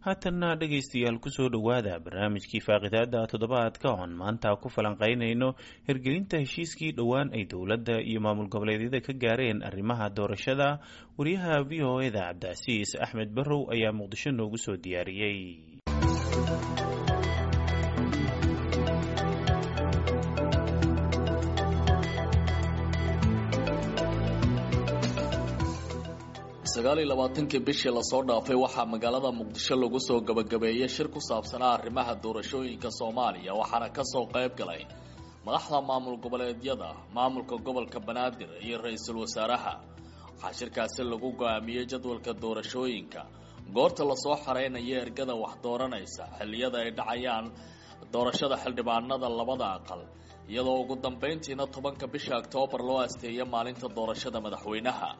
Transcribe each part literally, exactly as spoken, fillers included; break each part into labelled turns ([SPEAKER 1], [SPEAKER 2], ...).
[SPEAKER 1] Haatanna dhegaystayaal, kusoo dhowaada barnaamijkii faaqidaada toddobaadka oon maanta ku falanqaynayno hirgelinta heshiiskii dhowaan ay dowladda iyo maamul goboleedyada ka gaareen arrimaha doorashada. Wariyaha V O E da Cabdicasiis Axmed Barrow ayaa Muqdisho noogu soo diyaariyey.
[SPEAKER 2] Sagaal iyo labaatankii bishii lasoo dhaafay waxaa magaalada Muqdisho lagu soo gabagabeeyey shir ku saabsanaa arrimaha doorashooyinka Soomaaliya, waxaana kasoo qayb galay madaxda maamul goboleedyada, maamulka gobolka Banaadir iyo ra-iisul wasaaraha. Waxaa shirkaasi lagu go-aamiyey jadwalka doorashooyinka, goorta lasoo xareynayo ergada wax dooranaysa, xilliyada ay dhacayaan doorashada xildhibaanada labada aqal, iyadoo ugu dambeyntiina tobanka bisha Oktoobar loo asteeyay maalinta doorashada madaxweynaha.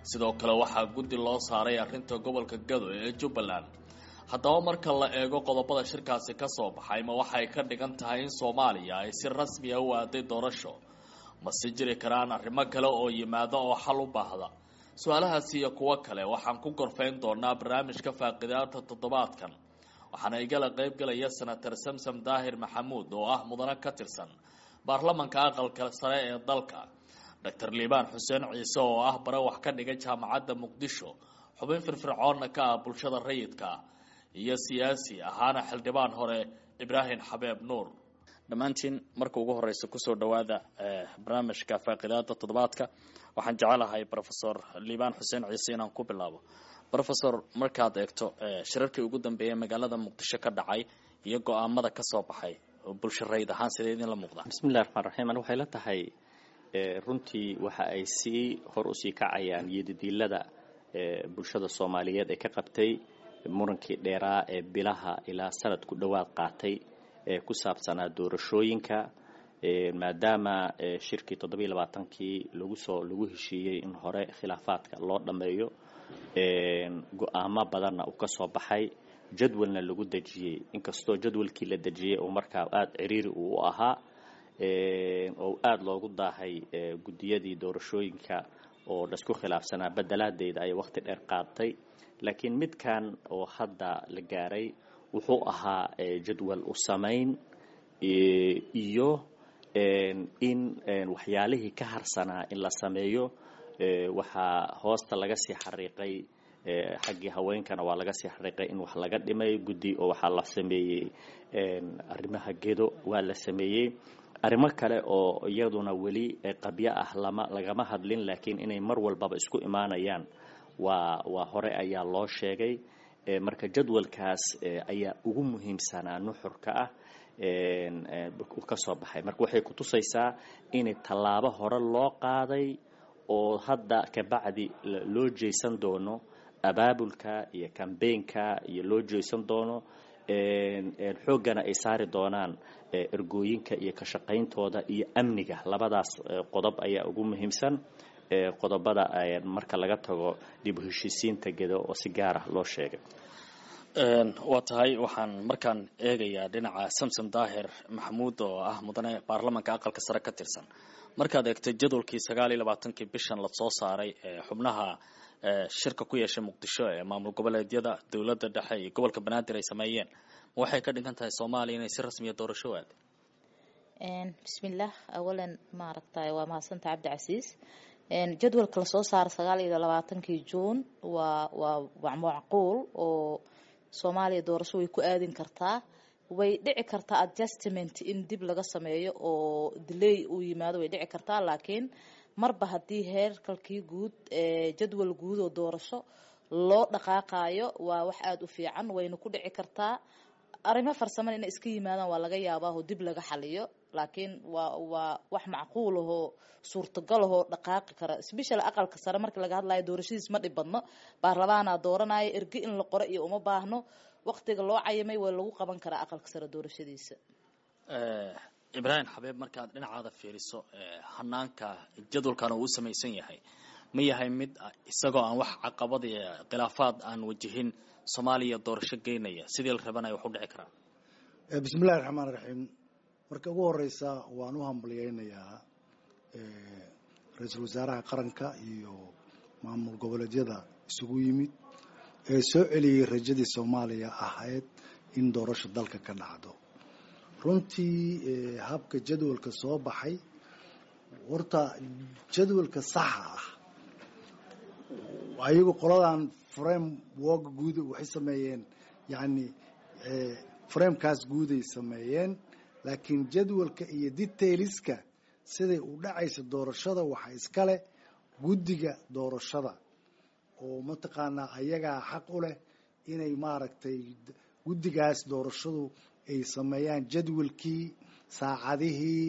[SPEAKER 2] Sidoo kale waxaa guddi loo saaray arrinta gobolka Gado ee Jubbaland. Haddaba, marka la eego qodobada shirkaasi ka soo baxay, ma waxay ka dhigan tahay in Soomaaliya ay si rasmi ah u aaday doorasho, mase jiri karaan arrimo kale oo yimaada oo xal u baahda? Su-aalahaasi iyo kuwo kale waxaan ku gorfayn doonaa barnaamijka faaqidaada toddobaadkan. Waxaana igala qayb galaya Senator Samsam Daahir Maxamuud oo ah mudane ka tirsan baarlamanka aqalka sare ee dalka, Doctor Liibaan Xuseen Ciise oo ah bare wax ka dhigay Jaamacadda Muqdisho, xubin firfircoonna ka ah bulshada rayidka, iyo siyaasi ahaana xildhibaan hore Ibraahim Xabeeb Nuur. Dhammaantiin marka ugu horeysa kusoo dhowaada barnaamijka faaqidaada toddobaadka. Waxaan jecelahay Professor Liibaan Xuseen Ciise inaan ku bilaabo. Professor, markaad eegto shirarkii ugu dambeeyay magaalada Muqdisho ka dhacay iyo go-aamada ka soo baxay, bulsho rayid ahaan sidee idinla muuqdaa?
[SPEAKER 3] Bismillahi raxmaan raxiim. Ani waxay la tahay runtii waxa ay sii hor usii kacayaan yidadiilada bulshada Soomaaliyeed ee ka qabtay murankii dheeraa ee bilaha ilaa sanad ku dhowaad qaatay ee ku saabsanaa doorashooyinka, maadaama shirkii toddobiiyo labaatankii lagu soo lagu heshiiyey in hore khilaafaadka loo dhammeeyo, go-aamo badanna uu ka soo baxay, jadwalna lagu dejiyey. Inkastoo jadwalkii la dejiyey uu markaa aada ciriiri uu u ahaa oo aada loogu daahay guddiyadii doorashooyinka oo laisku khilaafsanaa bedelaadeyda ay waqti dheer qaatay, laakiin midkan oo hadda la gaaray wuxuu ahaa jadwal u samayn iyo in waxyaalihii ka harsanaa in la sameeyo. Waxaa hoosta laga sii xariiqay, xaggii haweenkana waa laga sii xariiqay in wax laga dhimay guddi oo waxaa la sameeyey arrimaha Gedo, waa la sameeyey arrimo kale oo iyaduna weli qabyo ah, lama lagama hadlin, laakiin inay mar walbaba isku imaanayaan waa waa hore ayaa loo sheegay. Marka jadwalkaas ayaa ugu muhiimsanaa nuxurka ah ka soo baxay. Marka waxay kutusaysaa inay tallaabo hore loo qaaday oo hadda kabacdi loo jeesan doono abaabulka iyo kambeynka iyo loo jeesan doono, xooggana ay saari doonaan ergooyinka iyo ka shaqayntooda iyo amniga. Labadaas qodob ayaa ugu muhiimsan qodobada, marka laga tago dib u heshiisiinta Gedo oo si gaar ah loo sheegay.
[SPEAKER 2] Waa tahay. Waxaan markaan eegayaa dhinaca Samsom Daahir Maxamuud oo ah mudane baarlamanka aqalka sare ka tirsan. Markaad eegto jadwalkii sagaal iyo labaatankii bishan lasoo saaray ee xubnaha shirka ku yeeshay Muqdisho ee maamul goboleedyada, dowladda dhexe iyo gobolka Banaadir ay sameeyeen, ma waxay ka dhigan tahay Soomaaliya inay si rasmiya doorasho u aaday?
[SPEAKER 4] Bismillaah. Awalan, maaragtay, waa mahadsanta Cabdicasiis. Jadwalka lasoo saaray sagaal iyo labaatankii Juun waa waa macquul oo Soomaaliya doorasho way ku aadin kartaa. Way dhici kartaa adjustment in dib laga sameeyo oo delay uu yimaado, way dhici kartaa, laakiin marba haddii heerkalkii guud ee jadwal guud oo doorasho loo dhaqaaqayo, waa wax aada u fiican, wayna ku dhici kartaa. Arrimo farsamada inay iska yimaadaan waa laga yaabaa oo dib laga xaliyo, laakiin waa waa wax macquul ahoo suurtagal ahoo dhaqaaqi kara. Special aqalka sare marka laga hadlayo, doorashadiis ma dhib badno. Baarlamaanaa dooranaya, erge in la qoro iyo uma baahno. Waqtiga loo cayimay waa lagu qaban karaa aqalka sare doorashadiisa.
[SPEAKER 2] Ibraahim Xabeeb, markaad dhinacaada fiiriso, hanaanka jadwalkan uu u samaysan yahay ma yahay mid isagoo aan wax caqabad iyo khilaafaad aan wajihin Soomaaliya doorasho geynaya, sidii la rabana wax u dhici karaa?
[SPEAKER 5] Bismillahi raxmaan raxiim. Marka ugu horeysa waan u hambalyeynayaa ra-iisul wasaaraha qaranka iyo maamul goboleedyada isugu yimid. ee soo celiyey rajadii Soomaaliya ahayd in doorasho dalka ka dhacdo. Runtii habka jadwalka soo baxay, horta jadwalka saxa ah ayagu qoladan framework guud waxay sameeyeen, yacni framekaas guuday sameeyeen, laakiin jadwalka iyo detailska siday u dhacaysa doorashada waxaa iskale guddiga doorashada oo mataqaanaa ayagaa xaq u leh inay maaragtay guddigaas doorashadu ay sameeyaan jadwalkii, saacadihii,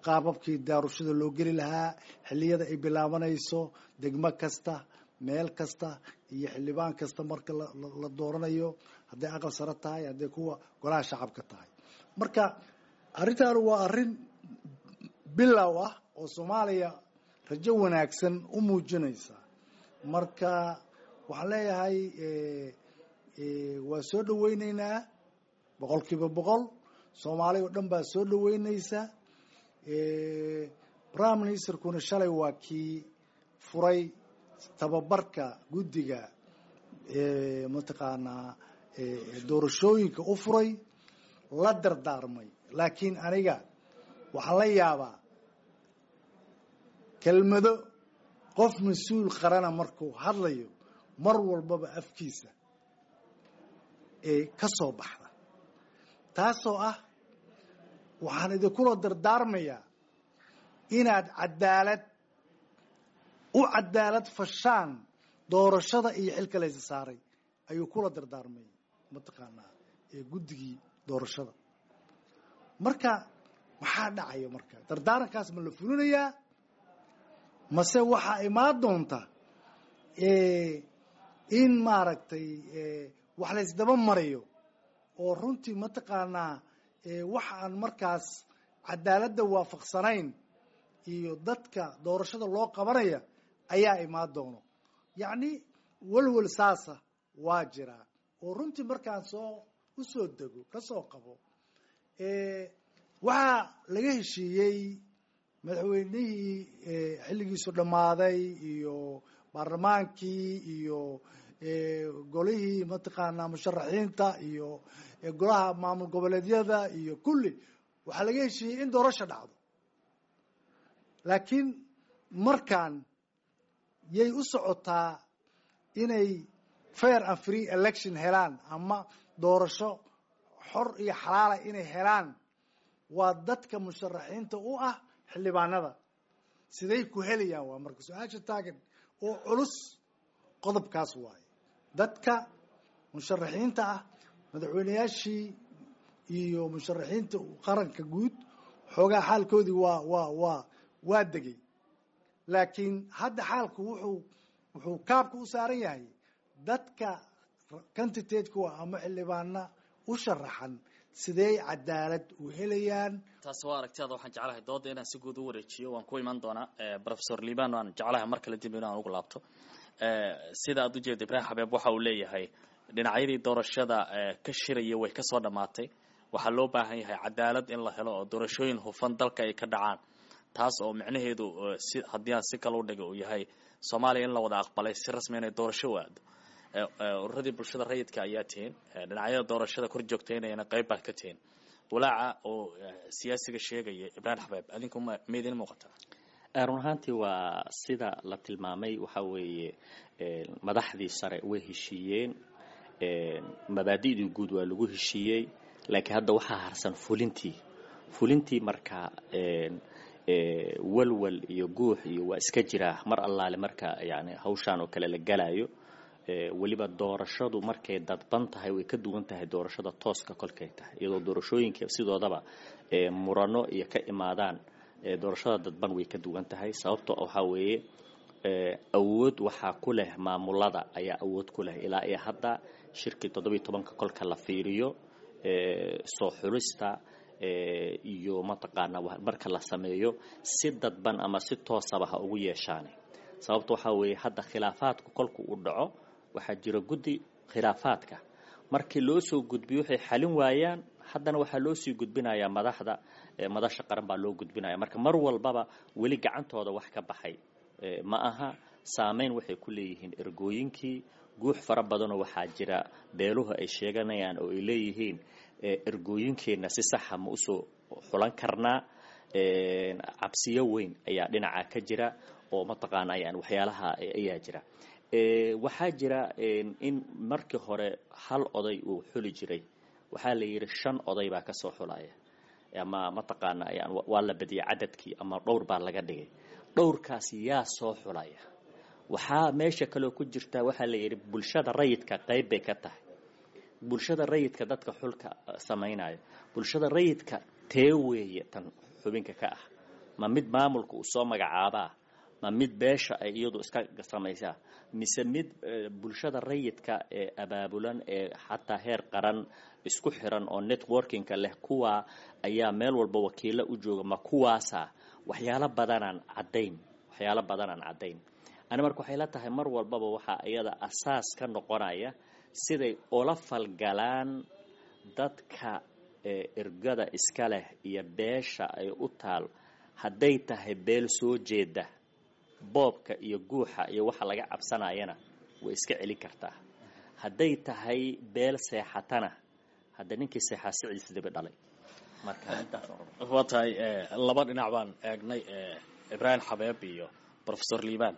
[SPEAKER 5] qaababkii doorashada loo geli lahaa, xilliyada ay bilaabanayso, degmo kasta, meel kasta iyo xildhibaan kasta marka la dooranayo, hadday aqal sare tahay, hadday kuwa golaha shacabka tahay. Marka arrintan waa arrin bilow ah oo Soomaaliya rajo wanaagsan u muujinaysa. Marka waxaan leeyahay waa soo dhaweyneynaa boqolkiiba boqol, Soomaaliya oo dhan baa soo dhaweynaysa. Prime ministerkuna shalay waa kii furay tababarka guddiga mataqaanaa doorashooyinka u furay, la dardaarmay. Laakiin aniga waxaan la yaabaa kelmado qof mas-uul qarana markuu hadlayo mar walbaba afkiisa ee ka soo baxda, taasoo ah waxaan idinkula dardaarmayaa inaad cadaalad u cadaalad fashaan doorashada iyo xilka laysa saaray, ayuu kula dardaarmay mataqaanaa ee guddigii doorashada. Marka maxaa dhacaya? Marka dardaarankaas ma la fulinayaa mase waxaa imaan doonta in maaragtay wax laysdaba marayo oo runtii mataqaanaa waxa aan markaas cadaaladda waafaqsanayn iyo dadka doorashada loo qabanaya ayaa imaan doono? Yacni walwal saasa waa jiraa oo runtii markaan soo u soo dego ka soo qabo waxaa laga heshiiyey madaxweynihii xilligiisu dhammaaday iyo baarlamaankii iyo golihii mataqaanaa musharaxiinta iyo golaha maamul goboleedyada iyo kulli waxaa laga heshiiyey in doorasho dhacdo. Laakiin markaan yay u socotaa inay fair and free election helaan ama doorasho xor iyo xalaala inay helaan waa dadka musharaxiinta u ah xildhibaanada. Siday ku helayaan waa marka su-aasha taagan oo culus, qodobkaas waaye. Dadka musharaxiinta ah, madaxweyneyaashii iyo musharaxiinta qaranka guud, xoogaa xaalkoodii waa waa waa waa degay, laakiin hadda xaalku wuxuu wuxuu kaabka u saaran yahay dadka candidateka ama xildhibaana u sharaxan, sidey cadaalad u helayaan?
[SPEAKER 2] Taasi waa aragtiyaada. Waxaan jeclahay dooda inaan si guud u wareejiyo, waan ku iman doonaa Professor Liban, waan jeclahay mar kale dib inaan ugu laabto. Sida aad ujeeda, Ibraahim Xabeeb waxa uu leeyahay dhinacyadii doorashada ka shiraya way kasoo dhammaatay, waxaa loo baahan yahay cadaalad in la helo oo doorashooyin hufan dalka ay ka dhacaan, taas oo micnaheedu si haddii aan si kale u dhigo uu yahay Soomaaliya in la wada aqbalay si rasmi inay doorasho u aado. Ururadii bulshada rayidka ayaa tihiin, dhinacyada doorashada kor joogtaynayana qayb baad ka tihiin. Walaaca oo siyaasiga sheegaya Ibraahim Xabeeb adinku ma ma idin muuqataa?
[SPEAKER 3] Run ahaantii waa sida la tilmaamay, waxa weeye madaxdii sare way heshiiyeen, mabaadi'dii guud waa lagu heshiiyey, laakiin hadda waxaa harsan fulintii. Fulintii marka walwal iyo guux iyo waa iska jiraa mar allaale marka yani hawshaan oo kale la galayo. Weliba doorashadu markay dadban tahay way ka duwan tahay doorashada tooska kolkay tahay, iyadoo doorashooyinka sidoodaba murano iyo ka imaadaan, doorashada dadban way ka duwan tahay. Sababto waxaa weeye awood waxaa ku leh maamulada ayaa awood ku leh ilaa iyo hadda shirkii toddobiyo tobanka kolka la fiiriyo soo xulista iyo mataqaana marka la sameeyo si dadban ama si toosaba ha ugu yeeshaane. Sababta waxaa weeye hadda khilaafaadku kolku uu dhaco waxaa jira guddi khilaafaadka, markii loo soo gudbiyo waxay xalin waayaan, haddana waxaa loo sii gudbinayaa madaxda madasha qaran baa loo gudbinaya. Marka mar walbaba weli gacantooda wax ka baxay ma aha, saameyn waxay ku leeyihiin ergooyinkii, Guux fara badanoo waxaa jira beeluhu ay sheeganayaan oo ay leeyihiin ergooyinkeenna si saxa ma usoo xulan karnaa. Cabsiyo weyn ayaa dhinaca ka jira oo mataqaana yani waxyaalaha ayaa jira. Waxaa jira in markii hore hal oday uu xuli jiray, waxaa la yidhi shan oday baa kasoo xulaya, ama mataqaana yani waa la badiyay cadadkii ama dhowr baa laga dhigay. Dhowrkaas yaa soo xulaya? Waxaa meesha kaloo ku jirta, waxaa la yidhi bulshada rayidka qayb bay ka tahay. Bulshada rayidka dadka xulka samaynaya, bulshada rayidka tee weeye tan xubinka ka ah? Ma mid maamulka uu soo magacaabaa, ma mid beesha ay iyadu iska samaysaa, mise mid bulshada rayidka ee abaabulan ee xataa heer qaran isku xiran oo networkingka leh, kuwa ayaa meel walba wakiilo u jooga, ma kuwaasa? Waxyaalo badanaan caddayn, waxyaalo badanaan caddayn. Ani marka waxay la tahay mar walbaba waxaa iyada asaas ka noqonaya siday ula falgalaan dadka ergada iska leh iyo beesha ay u taal. Hadday tahay beel soo jeeda, boobka iyo guuxa iyo waxa laga cabsanayana way iska celin kartaa. Hadday tahay beel seexatana, hadda ninkii seexaa siciis dibi dhalay.
[SPEAKER 2] Waa tahay, laba dhinac baan eegnay, Ibraahim Xabeeb iyo Professor Liibaan.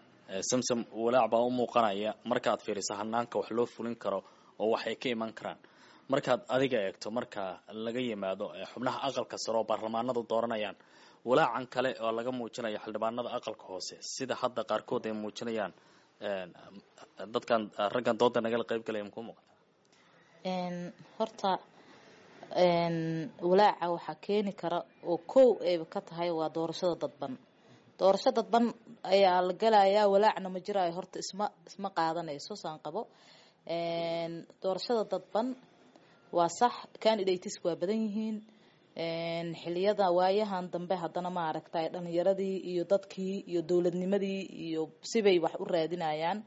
[SPEAKER 2] Samsam, walaac baa u muuqanaya markaad fiiriso hanaanka wax loo fulin karo oo waxay ka iman karaan. Markaad adiga eegto, marka laga yimaado xubnaha aqalka sare oo baarlamaanadu dooranayaan, walaacan kale oo laga muujinayo xildhibaanada aqalka hoose, sida hadda qaarkood ay muujinayaan dadkan raggan dooda nagala qayb galaya, makuu muuqata?
[SPEAKER 4] Horta walaaca waxaa keeni kara oo kow ayba ka tahay waa doorashada dadban. Doorasho dadban ayaa la galayaa, walaacna ma jiraayo. Horta isma isma qaadanayso saan qabo. Doorashada dadban waa sax, candidates waa badan yihiin xiliyada waayahan dambe. Haddana ma aragtay dhalinyaradii iyo dadkii iyo dowladnimadii iyo sibay wax u raadinayaan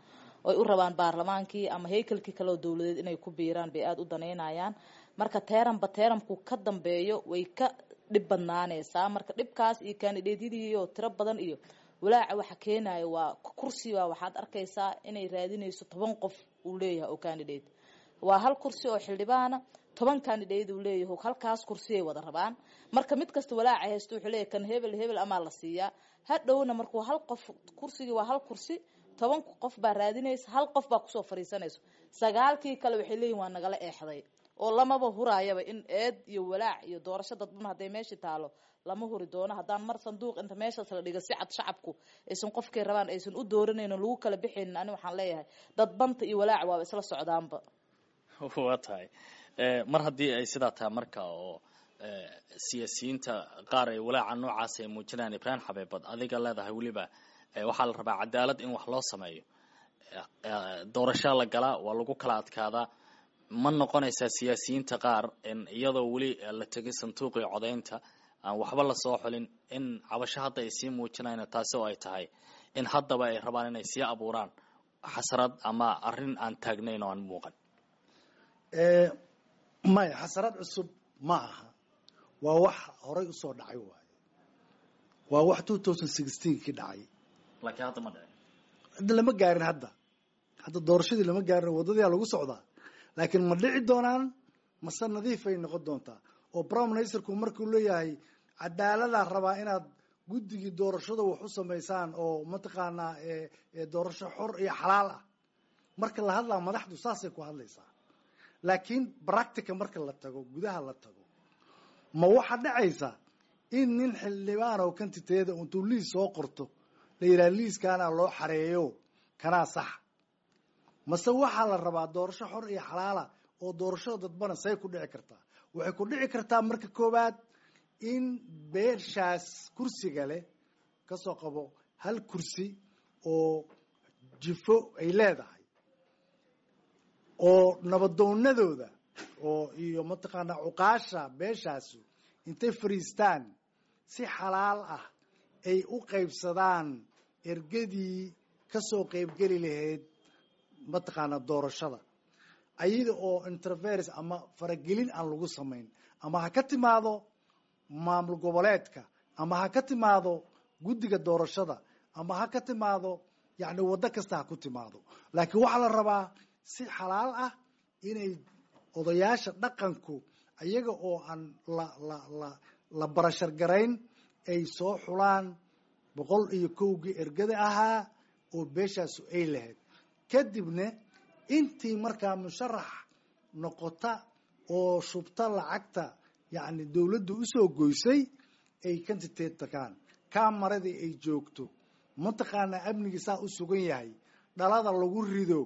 [SPEAKER 4] oy u rabaan baarlamaankii ama haykalkii kale oo dowladeed inay ku biiraan bay aada u daneynayaan. Marka teeranba teeranku ka dambeeyo way ka dhib badnaanaysaa. Marka dhibkaas iyo kandidateyadii oo tiro badan iyo walaaca waxa keenayo waa kursiba. Waxaad arkaysaa inay raadinayso toban qof uu leeyahay oo candidate. Waa hal kursi oo xildhibaana, toban candidate uu leeyahay, halkaas kursiyay wada rabaan. Marka mid kasta walaaca haysto wuxuu leeyahay kan hebel hebel amaa la siiyaa hadhowna. Markuu hal qof kursigii, waa hal kursi, toban qof baa raadinaysa, hal qof baa kusoo fariisanayso, sagaalkii kale waxay leeyihin waa nagala eexday oo lamaba huraayaba. In eed iyo walaac iyo doorasho dadban hadday meesha taalo lama huri doono. Haddaan mar sanduuq inta meeshaas la dhigo si cad shacabku aysan qofkay rabaan aysan u dooranaynin, lagu kala bixaynin, ani waxaan leeyahay dadbanta iyo walaac waaba isla socdaanba.
[SPEAKER 2] Waa tahay, mar haddii ay sidaa tahay marka oo siyaasiyiinta qaar ay walaaca noocaas ay muujinayaan, Ibraahim Xabeebad, adiga leedahay weliba waxaa la rabaa cadaalad in wax loo sameeyo, doorashaa la galaa, waa lagu kala adkaadaa, ma noqonaysaa siyaasiyiinta qaar in iyadoo weli la tegin sanduuqii codaynta aan waxba lasoo xulin in cabasho hadda ay sii muujinayaan, taasi oo ay tahay in haddaba ay rabaan inay sii abuuraan xasarad ama arrin aan taagnayn oo aan muuqan?
[SPEAKER 5] Maya, xasarad cusub ma aha, waa wax horay usoo dhacay waaye, waa wax two thousand sixteen kii dhacay.
[SPEAKER 2] Laakiin hadda ma dhicin.
[SPEAKER 5] Hadda lama gaarin, hadda hadda doorashadii lama gaarin, waddadii lagu socdaa. Laakiin ma dhici doonaan mase nadiifay noqon doontaa? Oo prime ministerku markuu leeyahay cadaaladaa rabaa inaad guddigii doorashada wax u samaysaan oo mataqaanaa doorasho xor iyo xalaal ah, marka la hadlaa madaxdu saasay ku hadlaysaa. Laakiin practica marka la tago, gudaha la tago, ma waxaa dhacaysa in nin xildhibaan oo kantiteeda intuu liis soo qorto la yidhaha liiskaana loo xareeyo kanaa sax? Mase waxaa la rabaa doorasho xor iyo xalaala oo doorashada dadbana say ku dhici kartaa? Waxay ku dhici kartaa marka koowaad in beeshaas kursiga leh kasoo qabo hal kursi oo jifo ay leedahay oo nabadoonadooda oo iyo mataqaanaa cuqaasha beeshaasu intay fariistaan si xalaal ah ay u qaybsadaan ergadii kasoo qaybgeli lahayd mataqaanaa doorashada, ayada oo interference ama faragelin aan lagu samayn, ama ha ka timaado maamul goboleedka, ama ha ka timaado guddiga doorashada, ama ha ka timaado yacni waddo kasta ha ku timaado. Laakiin waxaa la rabaa si xalaal ah inay odayaasha dhaqanku ayaga oo aan la la la la barashar garayn ay soo xulaan boqol iyo kowgii ergada ahaa oo beeshaasu ay lahayd. Kadibna intii markaa musharax noqota oo shubta lacagta yacni dowladdu usoo goysay ay candidate tagaan, kaamaradii ay joogto, mataqaanaa amnigii saa u sugan yahay, dhalada lagu rido,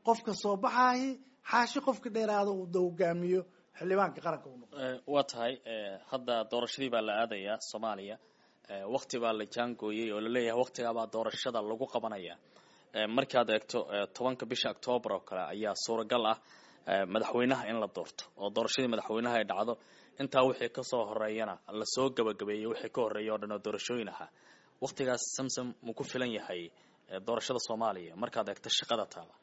[SPEAKER 5] qofka soo baxaahi xaashi qofka dheeraada uu hogaamiyo xildhibaanka qaranka u noqdo.
[SPEAKER 2] Waa tahay, hadda doorashadii baa la aadayaa Soomaaliya, wakti baa la jaangooyey oo laleeyahay waktigaabaa doorashada lagu qabanaya. Markaad eegto tobanka bisha Octoobar oo kale ayaa suuragal ah madaxweynaha in la doorto oo doorashadii madaxweynaha ay dhacdo, intaa wixii kasoo horeeyana lasoo gabagabeeyey wixii ka horreeya oo dhan oo doorashooyin ahaa. Waktigaas Samsam ma ku filan yahay doorashada Soomaaliya markaad eegto shaqada taala?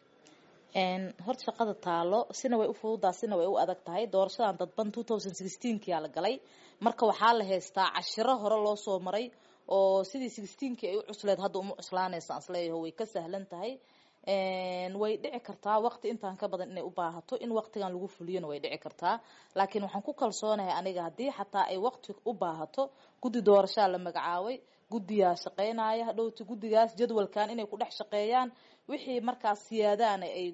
[SPEAKER 4] Horta shaqada taalo sina way u fududaa, sina way u adag tahay. Doorashadan dadban two thousand sixteenkii aa la galay, marka waxaa la haystaa cashiro hore loo soo maray oo sidii sixteenkii ay u cusleed hadda uma cuslaanaysa, aan isleeyahay way ka sahlan tahay. Way dhici kartaa waqti intaan ka badan inay u baahato, in waqtigan lagu fuliyona way dhici kartaa, laakiin waxaan ku kalsoonahay aniga haddii xataa ay waqti u baahato, guddi doorashaa la magacaabay, guddiyaa shaqeynaya hadhowti, guddigaas jadwalkan inay ku dhex shaqeeyaan, wixii markaas siyaadaana ay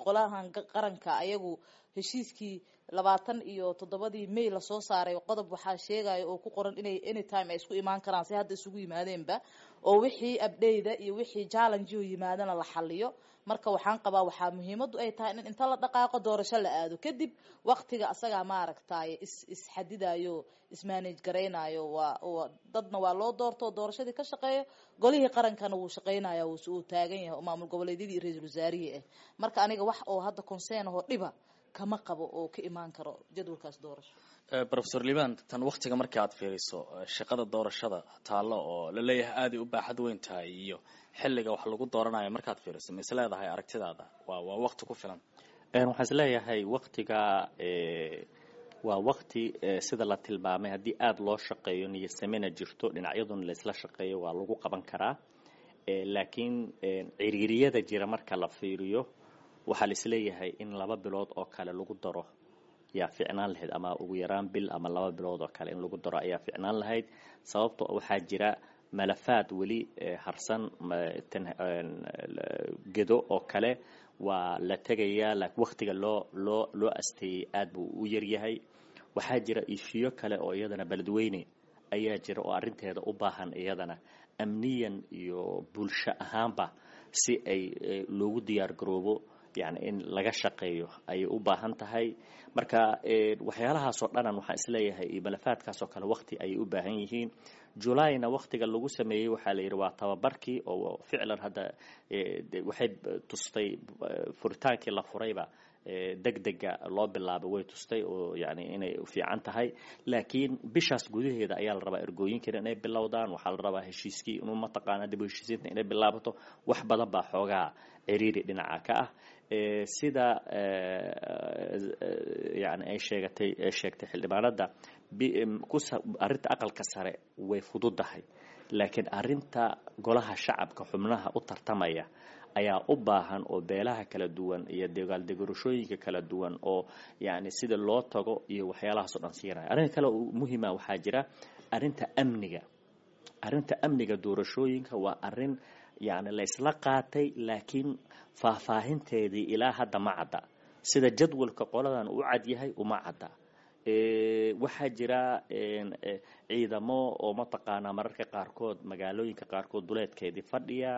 [SPEAKER 4] qolahan qaranka ayagu heshiiskii labaatan iyo toddobadii May lasoo saaray qodob waxaa sheegaya oo ku qoran inay anytime ay isku imaan karaan, si hadda isugu yimaadeenba, oo wixii abdheyda iyo wixii challenge yimaadana la xaliyo. Marka waxaan qabaa waxaa muhiimadu ay tahay in inta la dhaqaaqo doorasho la aado, kadib waqtiga asagaa maaragtay is isxadidayo, ismanage garaynayo. Waa dadna waa loo doorto doorashadii ka shaqeeyo, golihii qarankana wuu shaqeynaya, wuu taagan yahay maamul goboleedyadii iyo ra-iisul wasaarihii ah. Marka aniga wax oo hadda concern oo dhiba kama qabo oo ka imaan karo jadwalkaas doorasho.
[SPEAKER 2] Professor Liban, tan waktiga marka aad fiiriso shaqada doorashada taallo oo la leeyahay aaday u baaxad weyn tahay iyo xilliga wax lagu dooranayo markaad fiiriso, ma is leedahay aragtidaada waa waa waqti ku filan?
[SPEAKER 3] Waxaan is leeyahay waqtiga waa waqti sida la tilmaamay haddii aada loo shaqeeyo, niyadsamena jirto, dhinacyaduna la isla shaqeeyo, waa lagu qaban karaa. Laakiin ciriiriyada jira marka la fiiriyo waxaa la isleeyahay in laba bilood oo kale lagu daro yaa ficnaan lahayd, ama ugu yaraan bil ama laba bilood oo kale in lagu daro ayaa ficnaan lahayd. Sababto waxaa jira malafaad weli harsan, gedo oo kale waa la tegayaa, laakiin waqtiga loo loo loo asteeyey aad buu u yaryahay. Waxaa jira ishiyo kale oo iyadana beledweyne ayaa jira oo arrinteeda u baahan iyadana amniyan iyo bulsho ahaanba si ay loogu diyaar garoobo, yani in laga shaqeeyo ayay u baahan tahay. Marka waxyaalahaasoo dhanan waxaan isleeyahay iyo malafaadkaasoo kale waqti ayay u baahan yihiin. Julayna waqtiga lagu sameeyey waxaa la yidhi waa tababarkii oo ficlan hadda waxay tustay furitaankii la furayba degdega loo bilaabay way tustay oo yani inay fiican tahay. Laakiin bishaas gudaheeda ayaa la rabaa ergooyinkan inay bilowdaan, waxaa la rabaa heshiiskii inuu mataqaana dib u heshiisiinta inay bilaabato. Wax badan baa xoogaa ciriiri dhinaca ka ah, sida yani ay sheegatay sheegtay xildhibaanada. Arrinta aqalka sare way fududahay, laakiin arrinta golaha shacabka xubnaha u tartamaya ayaa u baahan oo beelaha kala duwan iyo dagaaldegorashooyinka kala duwan oo yani sida loo tago iyo waxyaalahaas oo dhan siinaya. Arrinta kale oo muhiima waxaa jira arrinta amniga. Arrinta amniga doorashooyinka waa arrin yani la isla qaatay, laakiin faahfaahinteedii ilaa hadda ma cadda. Sida jadwalka qoladan u cad yahay uma cadda. Waxaa jira ciidamo oo mataqaanaa mararka qaarkood magaalooyinka qaarkood duleedkeedii fadhiya.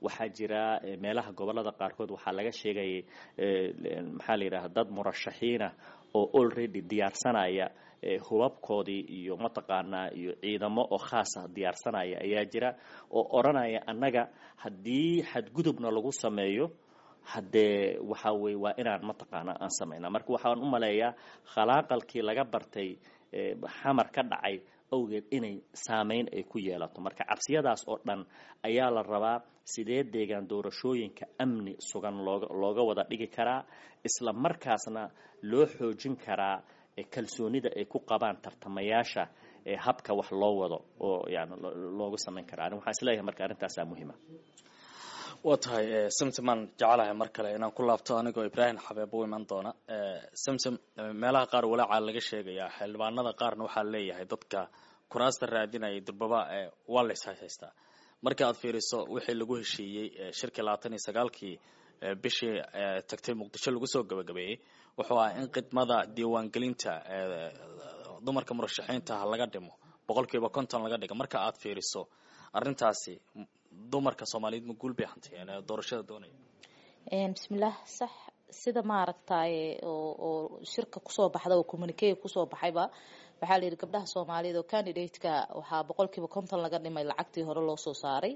[SPEAKER 3] Waxaa jira meelaha gobolada qaarkood waxaa laga sheegayay maxaa la yidhaha dad murashaxiina oo already diyaarsanaya hubabkoodii iyo mataqaanaa iyo ciidamo oo khaasa diyaarsanaya ayaa jira oo odhanaya annaga haddii xadgudubna lagu sameeyo haddee waxaa weye waa inaan mataqaanaa aan samaynaa. Marka waxaan u maleeyaa khalaaqalkii laga bartay xamar ka dhacay awgeed inay saameyn ay ku yeelato. Marka cabsiyadaas oo dhan ayaa la rabaa sidee deegaan doorashooyinka amni sugan looga looga wada dhigi karaa, isla markaasna loo xoojin karaa kalsoonida ay ku qabaan tartamayaasha habka wax loo wado oo yani loogu samayn karaa. Ani waxaan isleeyahay marka arrintaasaa muhiima.
[SPEAKER 2] Waa tahay Samsamaan jecelahay mar kale inaan ku laabto anigoo Ibraahim Xabeeb u iman doona. Samsam, meelaha qaar walaaca laga sheegayaa, xildhibaanada qaarna waxaa leeyahay dadka kuraasta raadinaya durbaba waa la ishaystaa. Marka aad fiiriso wixii lagu heshiiyey shirkii labaatan iyo sagaalkii bishii tagtay Muqdisho lagu soo gabagabeeyey, wuxuu ahaa in khidmada diiwaangelinta dumarka murashaxiinta ah laga dhimo boqolkiiba konton laga dhigo. Marka aad fiiriso arrintaasi, dumarka Soomaaliyeed ma guul bay hantiyeen doorashada doonaya?
[SPEAKER 4] Bismillaah, sax sida maaragtaye oo oo shirka kusoo baxda oo communique kusoo baxayba, waxaa la yidhi gabdhaha Soomaaliyeed oo candidate-ka waxaa boqolkiiba konton laga dhimay lacagtii hore loo soo saaray.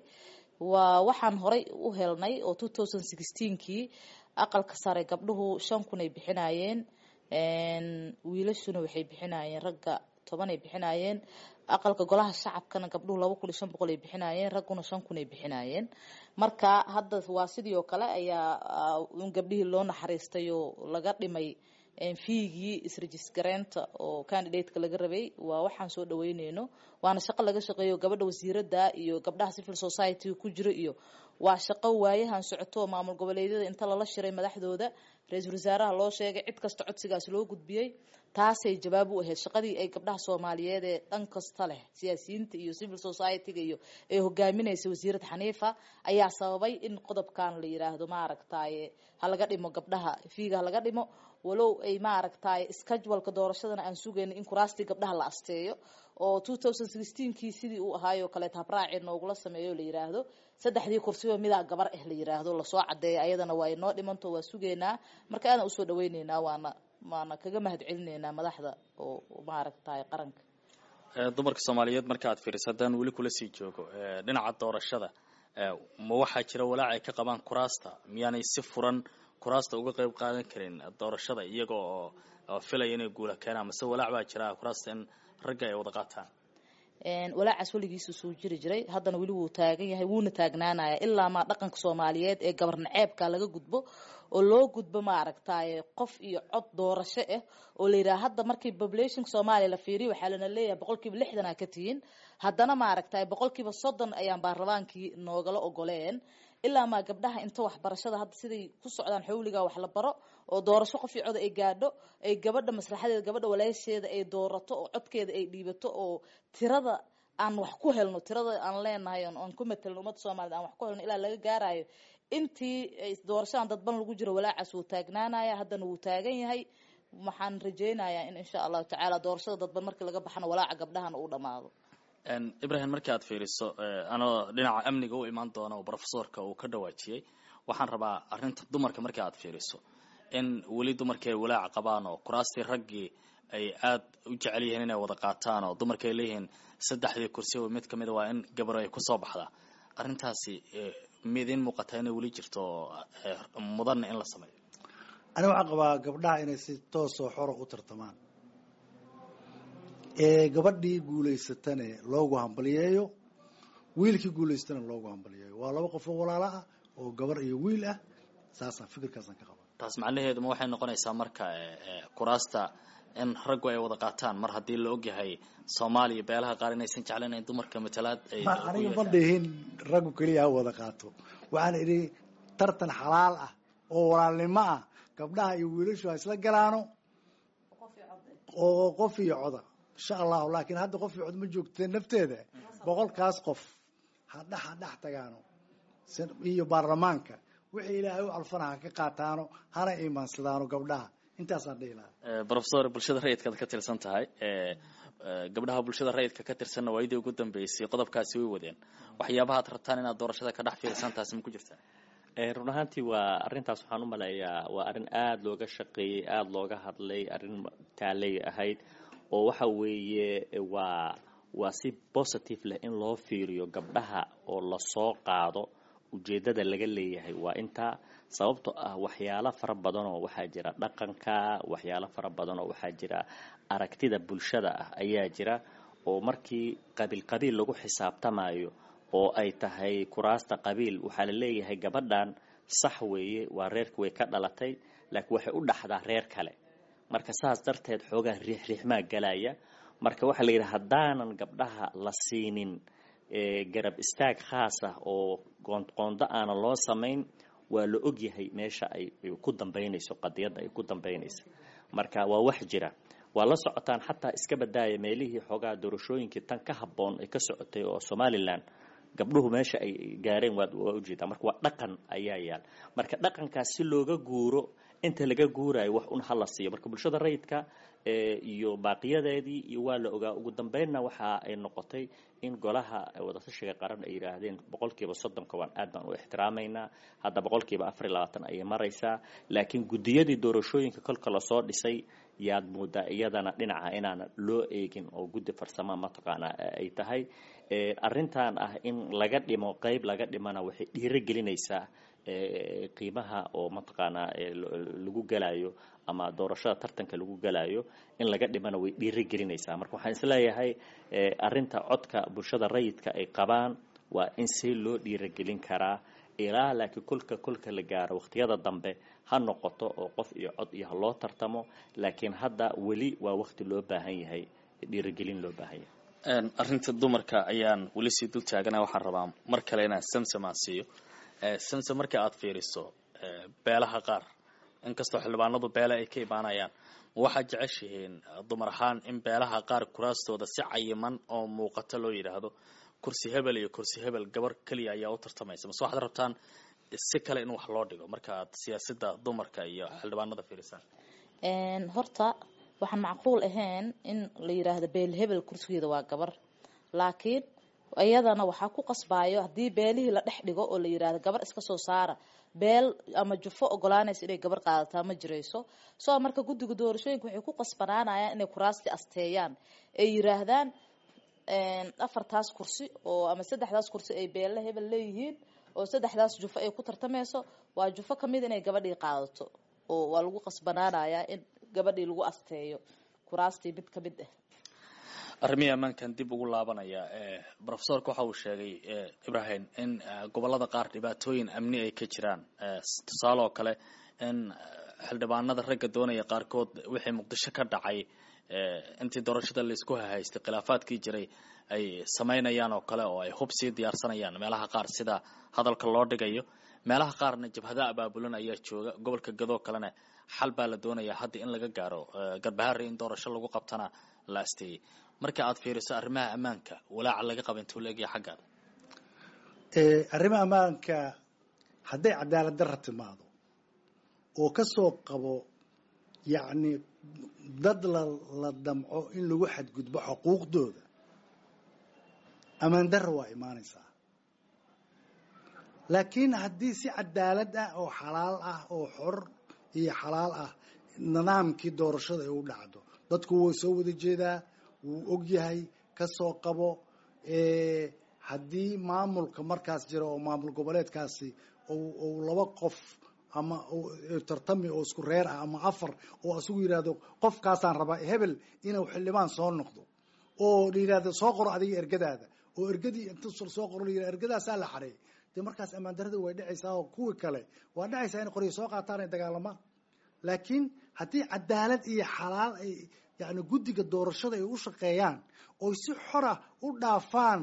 [SPEAKER 4] Waa waxaan horay u helnay oo two thousand sixteenkii aqalka sare gabdhuhu shan kun ay bixinayeen, wiilashuna waxay bixinayeen ragga toban ay bixinayeen. Aqalka golaha shacabkana gabdhuhu laba kun iyo shan boqol ay bixinayeen, ragguna shan kun ay bixinayeen. Marka hadda waa sidii oo kale ayaa un gabdhihii loo naxariistay oo laga dhimay fee-gii isregister-gareynta oo candidate-ka laga rabay. Waa waxaan soo dhaweyneyno, waana shaqo laga shaqeeyo gabadha wasiirada iyo gabdhaha civil society ku jiro, iyo waa shaqo waayahan socoto maamul goboleedyada inta lala shiray madaxdooda, ra-iisul wasaaraha loo sheegay, cid kasta codsigaas loo gudbiyey. Taasay jawaab u ahayd shaqadii ay gabdhaha Soomaaliyeed ee dhan kasta leh, siyaasiyiinta iyo civil society-ga iyo ay hogaaminaysa wasiirad Xaniifa, ayaa sababay in qodobkan la yiraahdo maaragtaye ha laga dhimo gabdhaha fee-ga, ha laga dhimo. Walow ay maaragtaye schedule-ka doorashadana aan sugayno in kuraastii gabdhaha la asteeyo oo two thousand sixteenkii sidii uu ahaayoo kaleeta habraaci noogula sameeyo, la yiraahdo saddexdii kursiba midaa gabar ah la yiraahdo, lasoo cadeeyo, ayadana waa inoo dhimanto, waa sugaynaa. Marka aadan usoo dhaweyneynaa, waana waana kaga mahad celineynaa madaxda oo maaragtaye qaranka.
[SPEAKER 2] Dumarka Soomaaliyeed marka aad fiiriso, haddaan weli kula sii joogo dhinaca doorashada, ma waxaa jira walaac ay ka qabaan kuraasta? Miyaanay si furan kuraasta uga qayb qaadan karin doorashada iyaga oo filaya inay guula keenaan, mase walaac baa jira kuraasta in ragga ay wada qaataan?
[SPEAKER 4] Walaacaas weligiisu soo jiri jiray, haddana weli wuu taagan yahay, wuuna taagnaanaya ilaa maa dhaqanka Soomaaliyeed ee gabar naceebka laga gudbo oo loo gudbo maaragtaye qof iyo cod doorasho ah oo la yidhaha. Hadda markii population-ka Soomaaliya la fiiriyo, waxaa lana leeyahay boqolkiiba lixdan aa ka tihiin, haddana maaragtaye boqolkiiba soddon ayaan baarlamaankii noogala ogoleen. Ilaa maa gabdhaha inta waxbarashada hadda siday ku socdaan xawliga wax la baro oo doorasho qof iyo cod ay gaadho, ay gabadha maslaxadeeda, gabadha walaasheeda ay doorato oo codkeeda ay dhiibato, oo tirada aan wax ku helno, tirada aan leenahay aan ku matelno ummadda Soomaaliyed aan wax ku helno, ilaa laga gaarayo intii doorashadan dadban lagu jiro, walaacaas wuu taagnaanaya, haddana wuu taagan yahay. Waxaan rajeynayaa in insha Allahu tacaala doorashada dadban markii laga baxana walaaca gabdhahana uu dhamaado.
[SPEAKER 2] Ibrahim, markii aad fiiriso, anoo dhinaca amniga u imaan doona oo professorka uu ka dhawaajiyey, waxaan rabaa arrinta dumarka markii aad fiiriso in weli dumarkii ay walaac qabaan oo kuraastii raggii ay aada u jecel yihiin inay wada qaataan, oo dumarka ay leeyihiin saddexdii kursi oo mid kamida waa in gabaro ay kusoo baxdaa. Arrintaasi midiin muuqataa inay weli jirto oo mudanna in la sameeyo?
[SPEAKER 5] Aniga waxaan qabaa gabdhaha inay si toosoo xora u tartamaan, ee gabadhii guulaysatane loogu hambaliyeeyo, wiilkii guulaystana loogu hambaliyeeyo. Waa laba qof oo walaalo ah oo gabar iyo wiil ah. Saasaan fikirkaasaan ka qabaa.
[SPEAKER 2] Taas macnaheedu ma waxay noqonaysaa marka kuraasta in raggu ay wada qaataan, mar haddii la ogyahay Soomaaliya beelaha qaar inaysan jeclayn in dumarka matalaad ay?
[SPEAKER 5] Aniga ma dhihin raggu keliya ha wada qaato. Waxaan idhi tartan xalaal ah oo walaalnimo ah gabdhaha iyo wiilashu ha isla galaano oo qof iyo coda, insha Allahu. Laakiin hadda qof iyo cod ma joogteen nafteeda, boqolkaas qof ha dhex ha dhex tagaano iyo baarlamaanka wixii Ilaahay u calfana ha ka qaataano, hana iimaansadaano gabdhaha. Intaasaan dhihi lahaa.
[SPEAKER 2] Professor, bulshada rayidkaad ka tirsan tahay, gabdhaha bulshada rayidka ka tirsanna waayadii ugu dambeysay qodobkaasi way wadeen. Waxyaabaha ad rabtaan inaad doorashada ka dhex fiirsan taasi ma ku jirtaa?
[SPEAKER 3] Run ahaantii waa arrintaas, waxaan u maleeyaa waa arrin aada looga shaqeeyey, aada looga hadlay, arrin taaley ahayd oo waxa weeye waa waa si positive leh in loo fiiriyo gabdhaha oo lasoo qaado. Ujeeddada laga leeyahay waa intaa, sababto ah waxyaalo fara badanoo waxaa jira dhaqanka, waxyaalo fara badanoo waxaa jira aragtida bulshada ah ayaa jira, oo markii qabiil qabiil lagu xisaabtamayo oo ay tahay kuraasta qabiil, waxaa la leeyahay gabadhan sax weeye, waa reerka way ka dhalatay, laakiin waxay u dhaxdaa reer kale. Marka saas darteed xoogaa riixriixmaa galaya. Marka waxaa la yidhi haddaanan gabdhaha la siinin garab istaag khaas ah oo qondo aanan loo samayn, waa la ogyahay meesha ay ku dambaynayso qadiyadda ay ku dambaynayso. Marka waa wax jira, waa la socotaan. Xataa iska badaaya meelihii xoogaa doorashooyinkii tan ka habboon ay ka socotay oo Somaliland, gabdhuhu meesha ay gaareen waa waa ujeedaa. Marka waa dhaqan ayaa yaal. Marka dhaqankaas si looga guuro, inta laga guurayo wax un hala siiyo. Marka bulshada rayidka iyo baaqiyadeedii iyo waa la ogaa. Ugu dambeynna waxa ay noqotay in golaha wadatashiga qaran ay yidhaahdeen boqolkiiba soddonka waan aad baan u ixtiraamaynaa. Hadda boqolkiiba afar iyo labaatan ayay maraysaa, laakiin guddiyadii doorashooyinka kolka lasoo dhisay yaad moodaa iyadana dhinaca inaana loo eegin oo guddi farsama mataqaanaa ay tahay. Arrintan ah in laga dhimo, qeyb laga dhimana, waxay dhiiro gelinaysaa qiimaha oo mataqaanaa lagu galayo ama doorashada tartanka lagu galayo in laga dhimana way dhiiro gelinaysaa. Marka waxaan isleeyahay arrinta codka bulshada rayidka ay qabaan waa in si loo dhiirogelin karaa ilaa, laakiin kolka kolka la gaaro waqtiyada dambe ha noqoto oo qof iyo cod iyo ha loo tartamo, laakiin hadda weli waa waqti loo baahan yahay dhiirogelin loo baahan yahay.
[SPEAKER 2] Arrinta dumarka ayaan weli sii dul taagana. Waxaan rabaa mar kale inaan Samsam aan siiyo. Samsam, marka aad fiiriso beelaha qaar, inkastoo xildhibaanadu beele ay ka imaanayaan, ma waxaad jeceshihiin dumar ahaan in beelaha qaar kuraastooda si cayiman oo muuqato loo yidhaahdo kursi hebel iyo kursi hebel gabar keliya ayaa u tartamaysa, mase waxaad rabtaan si kale in wax loo dhigo marka aad siyaasadda dumarka iyo xildhibaanada fiirisaan?
[SPEAKER 4] Horta waxaan macquul ahayn in la yiraahdo beel hebel kursigeeda waa gabar, laakiin iyadana waxaa ku qasbayo haddii beelihii la dhex dhigo oo la yiraahdo gabar iska soo saara, beel ama jufo ogolaanaysa inay gabar qaadataa ma jirayso. Soo marka guddiga doorashooyinka waxay ku qasbanaanayaan inay kuraasti asteeyaan, ay yiraahdaan afartaas kursi oo ama saddexdaas kursi ay beelle hebel leeyihiin oo saddexdaas jufo ay ku tartamayso, waa jufo kamid inay gabadhii qaadato, oo waa lagu qasbanaanayaa in gabadhii lagu asteeyo kuraastii mid kamid ah.
[SPEAKER 2] Arrimihii ammaankan dib ugu laabanaya. Profesorka waxa uu sheegay, Ibrahim, in gobolada qaar dhibaatooyin amni ay ka jiraan, tusaale oo kale in xildhibaanada ragga doonaya qaarkood wixii Muqdisho ka dhacay intii doorashada laisku hahaystay khilaafaadkii jiray ay samaynayaan oo kale, oo ay hub sii diyaarsanayaan meelaha qaar sida hadalka loo dhigayo. Meelaha qaarna jabhada abaabulan ayaa jooga. Gobolka Gadoo kalena xal baa la doonayaa hadda in laga gaaro, Garbaharre in doorasho lagu qabtana la asteeyey. Marka aad fiiriso arrimaha ammaanka, walaaca laga qaba intuu la egyahay xaggaada?
[SPEAKER 5] Arrimaha ammaanka, hadday cadaalad darra timaado oo ka soo qabo, yacni dad la la damco in lagu xadgudbo xuquuqdooda, ammaan darra waa imaanaysaa. Laakiin haddii si cadaalad ah oo xalaal ah oo xor iyo xalaal ah nidaamkii doorashada ay u dhacdo, dadku wuu soo wada jeedaa, wuu og yahay. Ka soo qabo haddii maamulka markaas jira oo maamul goboleedkaasi uu laba qof ama tartami oo isku reer ah ama afar, oo isagu yidhaahdo qofkaasaan rabaa hebel inuu xildhibaan soo noqdo, oo la yidhahdo soo qoro adiga ergadaada, oo ergadii inta soo qoro la yidhahdo ergadaasaa la xareey, dee markaas ammaan darrada way dhacaysaa oo kuwii kale waa dhacaysaa inay qoryo soo qaataan ay dagaalamaan. Laakiin haddii cadaalad iyo xalaal ay yacni guddiga doorashada ay u shaqeeyaan oy si xora u dhaafaan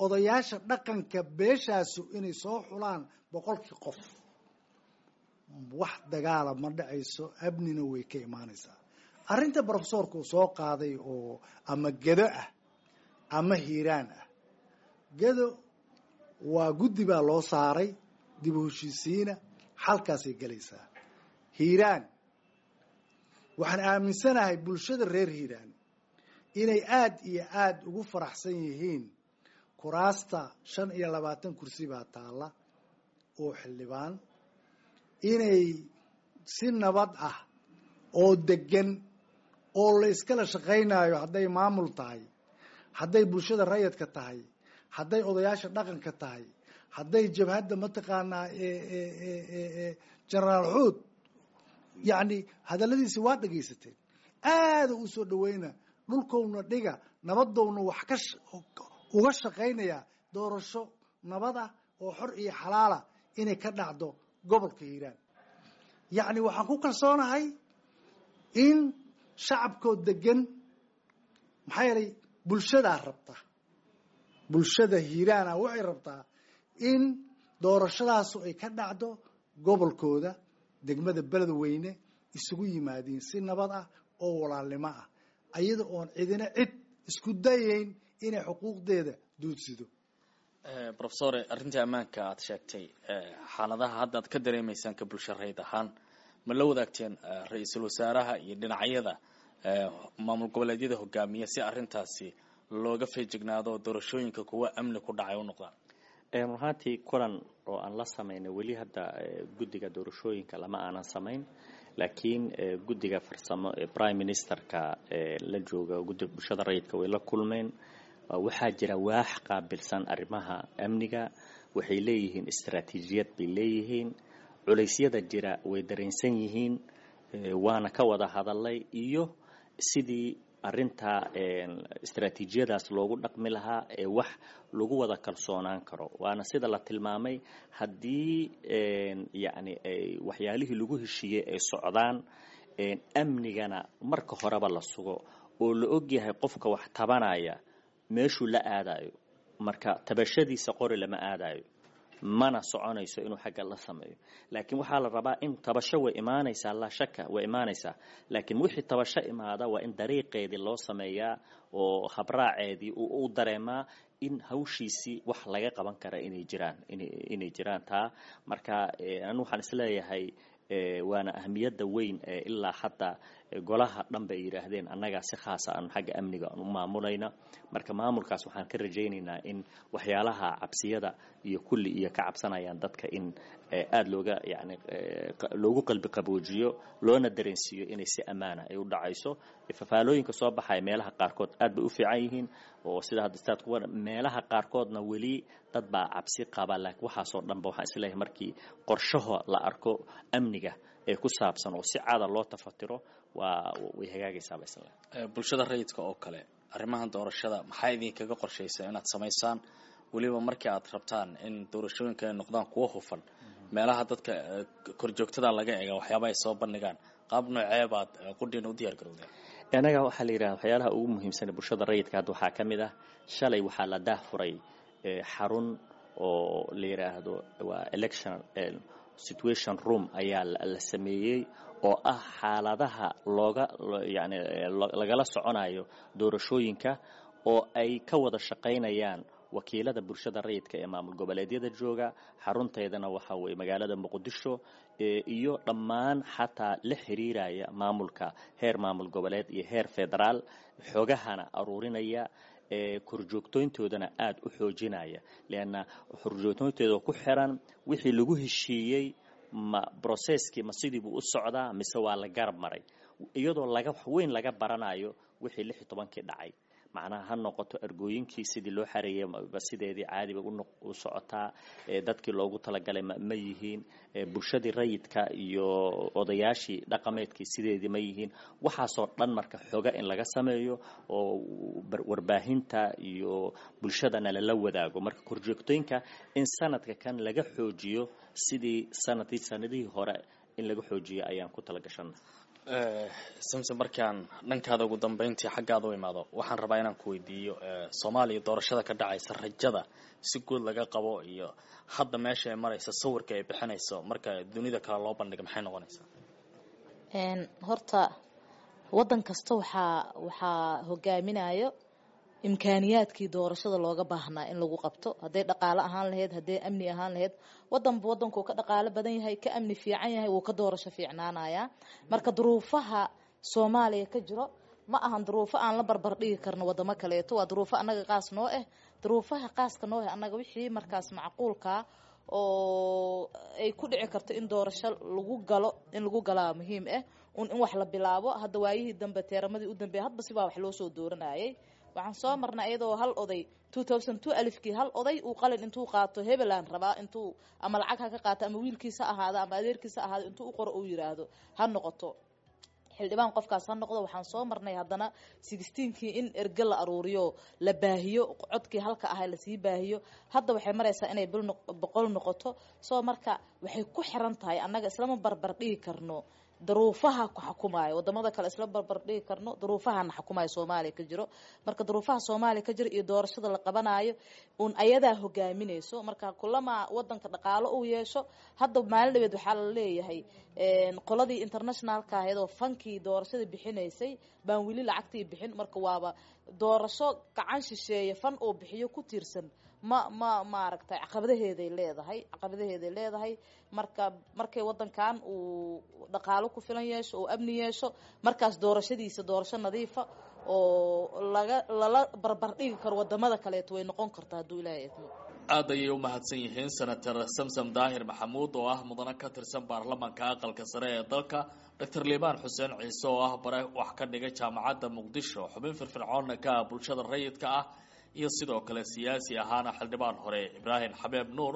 [SPEAKER 5] odayaasha dhaqanka beeshaasu inay soo xulaan boqolkii qof, wax dagaala ma dhacayso, amnina way ka imaanaysaa. Arrinta profesorku soo qaaday oo ama Gedo ah ama Hiiraan ah, Gedo waa guddi baa loo saaray dib u heshiisiina, xalkaasay gelaysaa. Hiiraan waxaan aaminsanahay bulshada reer Hiiraan inay aada iyo aada ugu faraxsan yihiin kuraasta shan iyo labaatan kursi baa taalla oo xildhibaan, inay si nabad ah oo degan oo la iskala shaqaynayo, hadday maamul tahay, hadday bulshada rayidka tahay, hadday odayaasha dhaqanka tahay, hadday jabhadda mataqaanaa Genaraal Xuud, yacni hadalladiisi waa dhegaysateen, aada u soo dhaweyna dhulkowna dhiga nabadowna wax ka uga shaqaynaya doorasho nabad ah oo xor iyo xalaala inay ka dhacdo gobolka Hiiraan. Yacni waxaan ku kalsoonahay in shacabkoo degan, maxaa yeelay bulshadaa rabta. Bulshada Hiiraana waxay rabtaa in doorashadaasu ay ka dhacdo gobolkooda, degmada Beledweyne, isugu yimaadiin si nabad ah oo walaalnimo ah, ayada oon cidina cid isku dayayn inay xuquuqdeeda duudsido.
[SPEAKER 2] Professor, arrintii ammaanka aad sheegtay, xaaladaha hadda aad ka dareemaysaan ka bulsho rayd ahaan, ma la wadaagteen ra-iisul wasaaraha iyo dhinacyada maamul goboleedyada hogaamiya si arrintaasi looga feejignaado doorashooyinka kuwa amni ku dhacay u noqdaan?
[SPEAKER 3] Run ahaantii kulan oo aan la samaynay weli hadda guddiga doorashooyinka lama aanan samayn, laakiin guddiga farsamo ee prime ministerka la jooga, guddiga bulshada rayidka, way la kulmeen. Waxaa jira waax qaabilsan arrimaha amniga, waxay leeyihiin istaraatiijiyad bay leeyihiin, culaysyada jira way dareensan yihiin, waana ka wada hadalay iyo sidii arrinta istaraatiijiyadaas loogu dhaqmi lahaa ee wax lagu wada kalsoonaan karo. Waana sida la tilmaamay, haddii yacni ay waxyaalihii lagu heshiiyey ay socdaan, amnigana marka horeba la sugo oo la ogyahay qofka wax tabanaya meeshuu la aadayo, marka tabashadiisa qori lama aadayo, mana soconayso inuu xagga la sameeyo. Laakiin waxaa la rabaa in tabasho way imaanaysaa, laa shaka way imaanaysaa, laakiin wixii tabasho imaada waa in dariiqeedii loo sameeyaa oo habraaceedii uu u dareemaa in hawshiisii wax laga qaban kara inay jiraan, inay jiraan taa. Marka anu waxaan isleeyahay waana ahamiyadda weyn ee ilaa hadda golaha dhan bay yidhaahdeen annagaa si khaasa aan xagga amniga aan u maamulayna. Marka maamulkaas waxaan ka rajaynaynaa in waxyaalaha cabsiyada iyo kulli iyo ka cabsanayaan dadka in aada looga yacni loogu qalbi qaboojiyo, loona dareensiiyo inay si ammaana ay u dhacayso. Fafaalooyinka soo baxaya meelaha qaarkood aad bay u fiican yihiin, oo sida hadda staad kuwa meelaha qaarkoodna weli dad baa cabsi qaba, laakiin waxaasoo dhanba waxaan isleeyahay markii qorshaha la arko amniga ee ku saabsan oo si caada loo tafatiro waa way hagaagaysaaba isle.
[SPEAKER 2] Bulshada rayidka oo kale, arrimahan doorashada maxaa idinkaga qorshaysa inaad samaysaan, weliba markii aad rabtaan in doorashooyinka ay noqdaan kuwo hufan, meelaha dadka korjoogtada laga eega waxyaaba ay soo bandhigaan, qaab noocee baad qudhiina u diyaar garowdeen?
[SPEAKER 3] Annaga waxaa la yidhaha waxyaalaha ugu muhiimsan bulshada rayidka hadda waxaa ka mid ah, shalay waxaa la daahfuray xarun oo la yidhaahdo waa election situation room ayaa la sameeyey, oo ah xaaladaha looga yani lagala soconayo doorashooyinka, oo ay ka wada shaqaynayaan wakiilada bulshada rayidka ee maamul goboleedyada jooga, xarunteedana waxa weye magaalada Muqdisho, iyo dhammaan xataa la xiriiraya maamulka heer maamul goboleed iyo heer federaal, xogahana aruurinaya, korjoogtoyntoodana aada u xoojinaya, leanna korjoogtooyntooda ku xiran wixii lagu heshiiyey ma brocesskii ma sidii buu u socdaa mise waa la garab maray, iyadoo laga wax weyn laga baranayo wixii lix iyo tobankii dhacay. Macnaha ha noqoto ergooyinkii sidii loo xareeyay sideedii caadiba u socotaa, dadkii loogu talagalay ma yihiin, bulshadii rayidka iyo odayaashii dhaqameedkii sideedii ma yihiin, waxaasoo dhan marka xoga in laga sameeyo oo warbaahinta iyo bulshadana lala wadaago. Marka korjoogtooyinka in sanadka kan laga xoojiyo sidii sanadkii sanadihii hore in laga xoojiyo ayaan ku talagashana.
[SPEAKER 2] Samson, markaan dhankaada ugu dambeyntii xaggaada u imaado, waxaan rabaa inaan ku weydiiyo Soomaaliya doorashada ka dhacaysa, rajada si guud laga qabo iyo hadda meesha ay maraysa, sawirka ay bixinayso marka dunida kale loo bandhiga, maxay noqonaysaa?
[SPEAKER 4] Horta waddan kasta waxaa waxaa hogaaminayo imkaaniyaadkii doorashada looga baahnaa in lagu qabto, hadday dhaqaalo ahaan lahayd, hadday amni ahaan lahayd. Wadanba wadankuu ka dhaqaalo badan yahay, ka amni fiican yahay, wuu ka doorasho fiicnaanayaa. Marka duruufaha Soomaaliya ka jiro ma ahan duruufo aan la barbar dhigi karno wadamo kaleeto, waa duruufo annaga qaas noo ah. Duruufaha qaaska noo ah annaga wixii markaas macquulkaa oo ay ku dhici karto in doorasho lagu galo, in lagu galaa muhiim ah un in wax la bilaabo. Hadda waayihii dambe, teeramadii u dambeeyay, hadba sibaa wax loo soo dooranayay. Waxaan soo marnay iyadoo hal oday two thousand two alifkii hal oday uu qalin intuu qaato hebelaan rabaa, intuu ama lacag ha ka qaato ama wiilkiisa ahaado ama adeerkiisa ahaado, intuu u qoro uu yiraahdo ha noqoto xildhibaan qofkaas ha noqdo. Waxaan soo marnay haddana sixteenkii in erge la aruuriyo, la baahiyo codkii halka ahaa lasii baahiyo. Hadda waxay maraysaa inay bil boqol noqoto. Soo marka waxay ku xiran tahay annaga islama barbar dhigi karno Duruufaha ku xukumaayo wadamada kale isla barbar dhigi karno, duruufahana xukumaayo Soomaaliya ka jiro. Marka duruufaha Soomaaliya ka jiro iyo doorashada la qabanayo uun ayadaa hogaaminayso. Marka kulama wadanka dhaqaalo uu yeesho, hadda maalin dhaweed waxaa la leeyahay qoladii internationalka ahayd oo fankii doorashada bixinaysay baan weli lacagtii bixin. Marka waaba doorasho gacan shisheeye fan oo bixiyo ku tiirsan, ma ma maaragtay, caqabadaheeday leedahay, caqabadaheeday leedahay. Marka markay wadankan uu dhaqaalo ku filan yeesho oo amni yeesho, markaas doorashadiisa doorasho nadiifa oo laga lala barbar dhigi karo wadamada kaleeto way noqon kartaa, hadduu Ilaahay idmo.
[SPEAKER 2] Aad ayay u mahadsan yihiin Senator Samsam Daahir Maxamuud oo ah mudane ka tirsan baarlamaanka aqalka sare ee dalka, Doctor Liibaan Xuseen Ciise oo ah bare wax ka dhiga Jaamacadda Muqdisho, xubin firfircoonna ka ah bulshada rayidka ah, iyo sidoo kale siyaasi ahaana xildhibaan hore Ibraahim Xabeeb Nuur.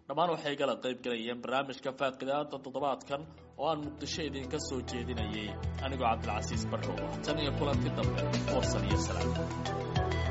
[SPEAKER 2] Dhammaan waxay gala qayb galayeen barnaamijka faaqidaada toddobaadkan oo aan Muqdisho idinka soo jeedinayay anigoo Cabdilcasiis Barrow. Tan iyo kulanti dambe, warsan iyo salaam.